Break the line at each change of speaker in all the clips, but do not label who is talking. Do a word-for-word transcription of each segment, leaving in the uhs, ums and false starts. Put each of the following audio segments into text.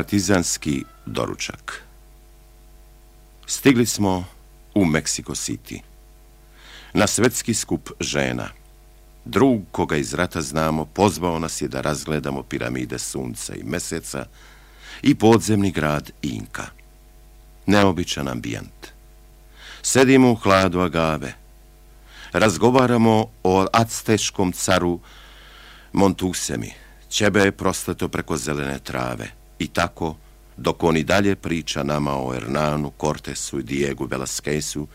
Partizanski doručak. Stigli smo u Meksiko City. Na svetski skup žena. Drug koga iz rata znamo pozvao nas je da razgledamo piramide sunca i meseca i podzemni grad Inka. Neobičan ambijent. Sedimo u hladu agave. Razgovaramo o acteškom caru Montusemi. Ćebe je prosleto preko zelene trave. I tako, dok on i dalje priča nama o Hernanu, Cortesu i Diegu Velasquezu,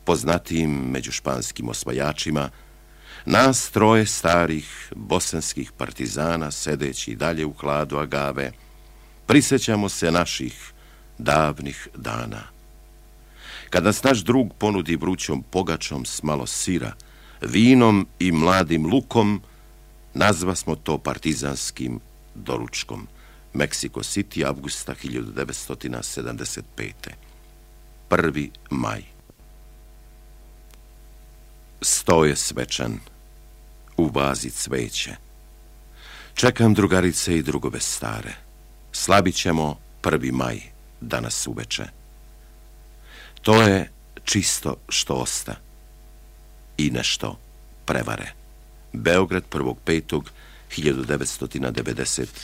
poznatijim među španskim osvajačima, nas troje starih bosanskih partizana, sedeći i dalje u hladu agave, prisjećamo se naših davnih dana. Kad nas naš drug ponudi vrućom pogačom s malo sira, vinom i mladim lukom, nazva smo to partizanskim doručkom. Meksiko City, avgusta hiljadu devetsto sedamdeset pete. Prvi maj. Sto je svečan. U vazi cveće. Čekam drugarice i drugove stare. Slavit ćemo prvi maj danas uveče. To je čisto što osta. I nešto prevare. Beograd prvog petog hiljadu devetsto devedeset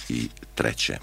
treće.